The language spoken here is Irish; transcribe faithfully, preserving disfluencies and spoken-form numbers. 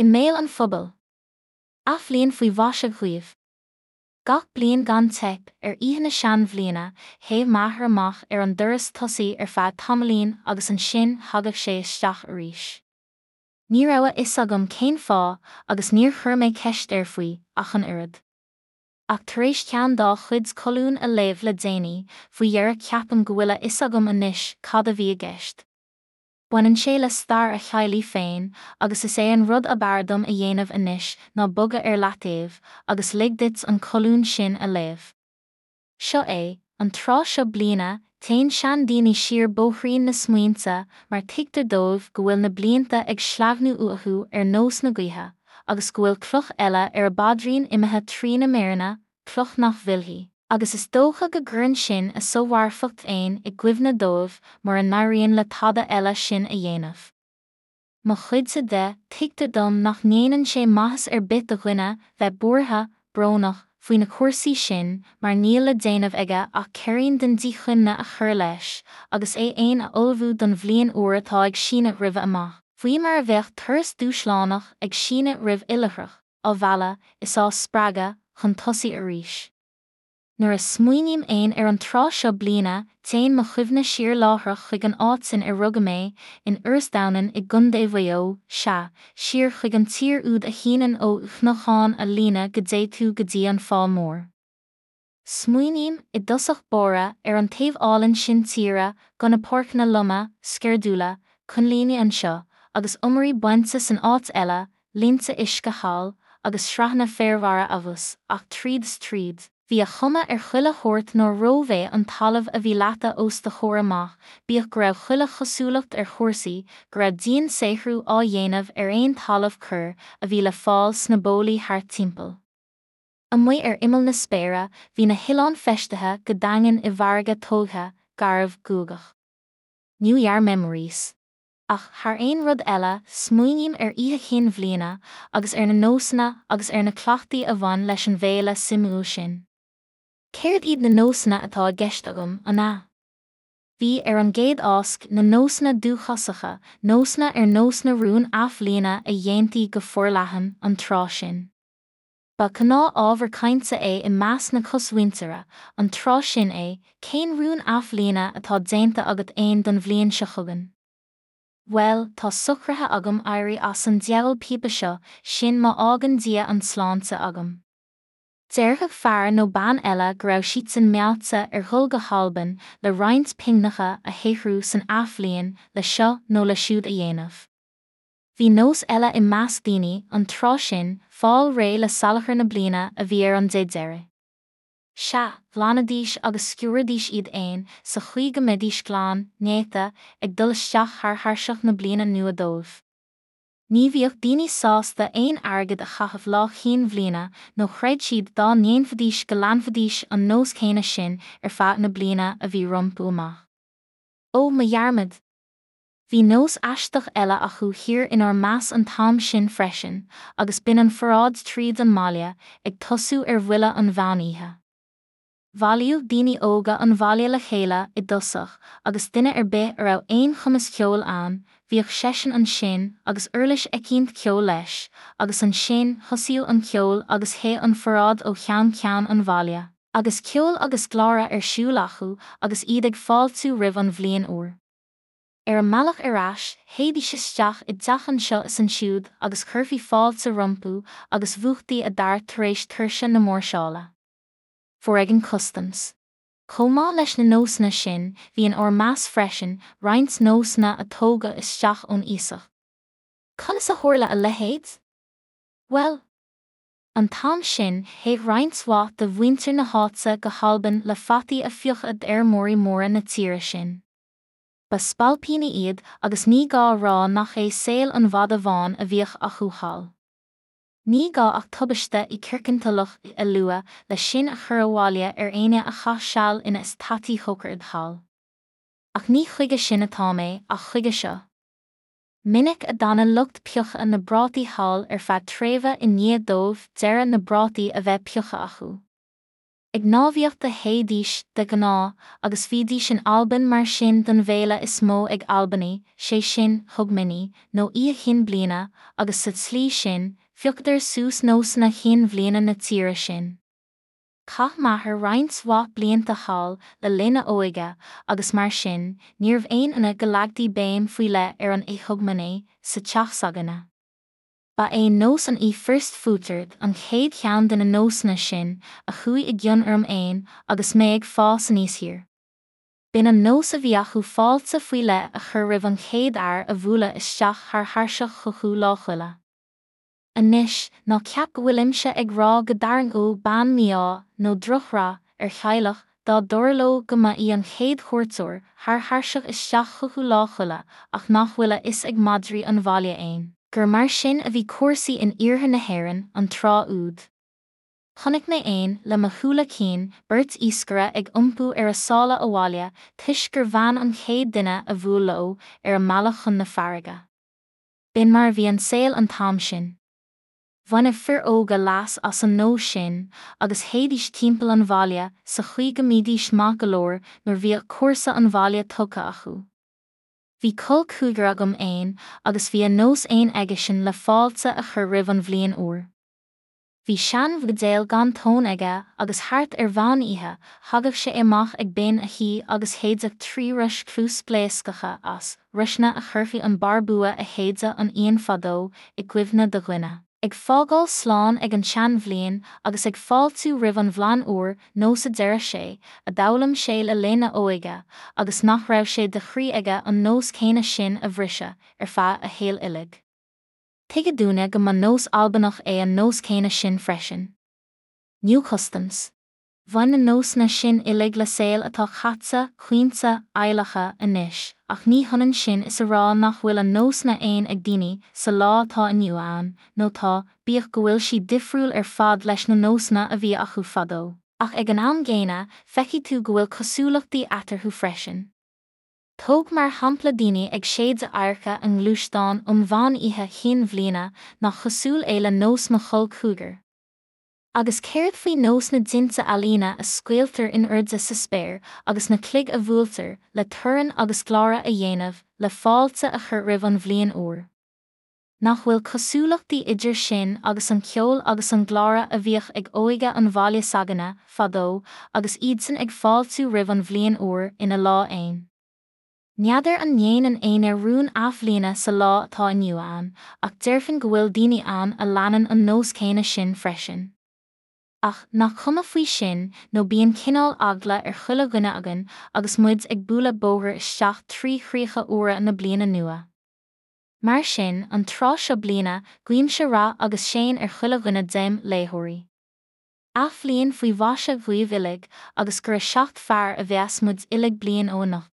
I mbéal an phobail. Athbhliain faoi mhaise dhaoibh. Gach bliain gan teip, ar oíche na seanbhliana, théadh m'athair amach ar an doras tosaigh ar feadh tamaillín agus ansin thagadh sé isteach arís. Ní raibh a fhios agam cén fáth agus níor chuir mé ceist air faoi ach an oiread. Ach tar éis ceann dá chuid colún a léamh le déanaí, faoi dheireadh ceapaim go bhfuil a fhios agam anois cad a bhí i gceist. Baineann sé le stair a theaghlaigh féin agus is é an rud ab fhearr dom a dhéanamh anois ná bogadh ar leataobh agus lig duit an colún sin a léamh. Seo é, an tráth seo bliana, téann seandaoine siar bóithrín na smaointe mar tuigtear dóibh go bhfuil na blianta ag sleamhnú uathu ar nós na gaoithe agus go bhfuil cloch eile ar a bpaidrín imithe trína méireanna, cloch nach bhfillfidh. Agus is dócha go gcuireann sin a somharfacht féin i gcuimhne dóibh mura n-éiríonn le tada eile sin a dhéanamh. Mo chuidse de, tuigtear dom nach ndéanann sé maitheas ar bith do dhuine bheith buartha, brónach, faoi na cúrsaí sin mar níl le déanamh aige ach ceirín den díchuimhne a chur leis agus é fhéin a ullmhú don bhliain úr atá ag síneadh roimhe amach, faoi mar a bheadh turas dúshlánach ag síneadh roimh oilithreach, á mhealladh is á spreagadh chun tosaigh arís. Nuair a smaoiním fhéin ar an tráth seo bliana, téann mo chuimhne siar láithreach chuig an áit sin ar rugadh mé, in Iorras Domhnann i gContae Mhaigh Eo, sea, siar chuig an tír úd a shíneann ó Chnocán a' Líne go dté tú go dtí an Fál Mór. Smaoiním, i dtosach báire, ar an taobh álainn sin tíre, gona páirceanna loma, sceirdiúla, coinlíní anseo, agus iomairí bainte san áit eile, linnte uisce thall, agus sraitheanna féarmhara abhus, ach tríd is tríd, bhí a chuma ar chuile shórt nár rómhéith an talamh a bhí leata os do chomhair amach, bíodh go raibh chuile chosúlacht ar chúrsaí, go raibh diansaothrú á dhéanamh ar aon talamh corr a bhí le fáil sna bólaí thart timpeall. Amuigh ar imeall na spéire, bhí na hoileáin feistithe go daingean i bhfarraige tógtha, garbh, guagach. New Year Memories. Ach thar aon rud eile, smaoiním ar Oíche Chinn Bhliana agus ar na nósanna agus ar na cleachtaí a bhain leis an bhféile suimiúil sin. Céard iad na nósanna atá i gceist agam, an ea? Bhí, ar an gcéad ásc, na nósanna dúchasacha, nósanna ar nós na rún athbhliana a dhéantaí go forleathan an tráth sin. Ba ghnáth-ábhar cainte é i measc na cosmhuintire, an tráth sin é, cén rún athbhliana atá déanta agat fhéin don bhliain seo chugainn? Bhuel, tá socraithe agam éirí as an diabhal píopa seo, sin má fhágann Dia an tsláinte agam. Déarfadh fear nó bean eile go raibh siadsan meáite ar dhul go hAlbain le roinnt pingneacha a shaothrú san athbhliain le seo nó le siúd a dhéanamh. Bhí nós eile i measc daoine, an tráth sin, fáil réidh le salachar na bliana a bhí ar an dé deiridh. Sea, ghlanaidís agus sciúraidís iad fhéin sa chaoi go mbeidís glan, néata, ag dul isteach thar thairseach na bliana nua dóibh. Ní bhíodh daoine sásta aon airgead a chaitheamh Lá Chinn Bhliana nó chreid siad dá ndéanfaidís go leanfaidís an nós céanna sin ar feadh na bliana a bhí rompu amach. Ó, mo dhearmad! Bhí nós aisteach eile acu thiar inár measc an t-am sin freisin, agus b'in an pharáid tríd an mbaile, ag tosú ar bhuille an mheán oíche. Bhailíodh daoine óga an bhaile le chéile i dtosach agus duine ar bith a raibh aon chumas ceoil ann, bhíodh seisean ansin agus uirlis eicínt ceoil leis, agus ansin thosaíodh an ceol agus théadh an pharáid ó cheann ceann an bhaile, agus ceol agus gleáradh ar siúl acu agus iad ag fáiltiú roimh an bhliain úr. Ar a mbealach ar ais, théidís isteach i dteach anseo is ansiúd agus chuirfí fáilte rompu agus mhúchtaí a dtart tar éis tuirse na máirseála. Foréigean Customs. Chomh maith leis na nósanna sin, bhí in ár measc freisin roinnt nósanna a tógadh isteach ón iasacht. Conas a tharla a leithéid? Bhuel, an t-am sin, théadh roinnt mhaith de mhuintir na háite go hAlbain le fataí a phiocadh d'fheirmeoirí móra na tíre sin. Ba spailpíní iad agus ní gá a rá nach é saol an mhada bháin a bhíodh acu thall. Ní gá ach tubaiste i Kirkintilloch a lua le sin a chur abhaile ar éinne a chaith seal ina eastátaí chócaireachta thall. Ach ní chuige sin atá mé, ach chuige seo. Minic a d'fhanadh lucht pioctha na bprátaí thall ar feadh tréimhse i ndiaidh dóibh deireadh na bprátaí a bheith pioctha acu. Ag náibhíocht a théidís, de ghnáth, agus bhídís in Albain mar sin don bhféile is mó ag Albanaigh, sé sin, Hogmanay, nó Oíche Chinn Bliana, agus sa tslí sin, phiocadar suas nósanna Chinn Bhliana na tíre sin. Chaith m'athair roinnt mhaith blianta thall le linn a óige, agus mar sin, níorbh aon ionadh go leagtaí béim faoi leith ar an Oíche Hogmanay sa teach s'againne. Ba é nós an First Footsard an chéad cheann de na nósanna sin a chuaigh i gcion orm fhéin agus mé ag fás aníos thiar. B'in an nós a bhí acu fáilte faoi leith a chur roimh an chéad fhear a bhuaileadh isteach thar thairseach chucu Lá Coille. Anois, ná ceap go bhfuilimse ag rá go dtarraingeodh bean mí-ádh nó drochrath ar theaghlach dá dtarlódh go mba í an chéad chuairteoir thar thairseach isteach chucu Lá Coille ach nach bhfuil a fhios ag madraí an bhaile fhéin gur mar sin a bhí cúrsaí in iarthar na hÉireann an tráth úd. Chonaic mé fhéin, le mo shúile cinn, beirt iascaire ag iompú ar a sála abhaile toisc gur bhean an chéad duine a bhuail leo ar a mbealach chun na farraige. B'in mar a bhí an saol an t-am sin. Bhaineadh fir óga leas as an nós sin agus théidís timpeall an bhaile sa chaoi go mbídís maith go leor nuair bhíodh cúrsa an bhaile tugtha acu. Bhí col cúigear agam fhéin agus bhí a nós fhéin aigesean le fáilte a chur roimh an bhliain úr. Bhí seanbhuidéal gan tóin aige agus thart ar mheán oíche thagadh sé amach ag binn a thí agus shéideadh trí rois chluaspléascacha as, roiseanna a chuirfeadh an barr bua a shéideadh an fhiain fadó i gcuimhne do dhuine. Ag fágáil slán ag an tseanbhliain agus ag fáiltiú roimh an bhlain úr, nós a deireadh sé, a d'fhoghlaim sé le linn a óige, agus nach raibh sé de chroí aige an nós céanna sin a bhriseadh ar feadh a shaoil uilig. Tuigeadh dúinne go mba nós Albanach é an nós céanna sin freisin. New Customs. Bhain na nósanna sin uilig le saol atá caite, caointe, adhlactha, anois, ach ní hionann sin is a rá nach bhfuil a nósanna fhéin ag daoine sa lá atá inniu ann, nó tá, bíodh go bhfuil siad difriúil ar fad leis na nósanna a bhí acu fadó. Ach ag an am gcéanna, feicfidh tú go bhfuil cosúlachtaí eatarthu freisin. Tóg mar shampla daoine ag séideadh adharca a ngluaisteán um mheán oíche Chinn Bhliana, nach cosúil é le nós mo chol cúigir. Agus céard faoi nós na dtinte ealaíne a scaoiltear in airde sa spéir agus na cloig a bhuailtear le torann agus glára a dhéanamh le fáilte a chur roimh an bhliain úr? Nach bhfuil cosúlachtaí idir sin agus an ceol agus an glára a bhíodh ag óige an bhaile s'againne fadó agus iadsan ag fáiltiú roimh an bhliain úr ina lá fhéin? N'fheadar an ndéanann éinne rún athbhliana sa lá atá inniu ann, ach déarfainn go bhfuil daoine ann a leanann an nós céanna sin freisin. Ach nach cuma faoi sin nó bíonn cineál eagla ar chuile dhuine againn agus muid ag bualadh bóthair isteach trí chríocha úra na bliana nua. Mar sin, an tráth seo bliana, guímse rath agus séan ar chuile dhuine dem léitheoirí. Athbhliain faoi mhaise dhaoibh uilig agus gur a seacht fearr a bheas muid uilig bliain ó anocht.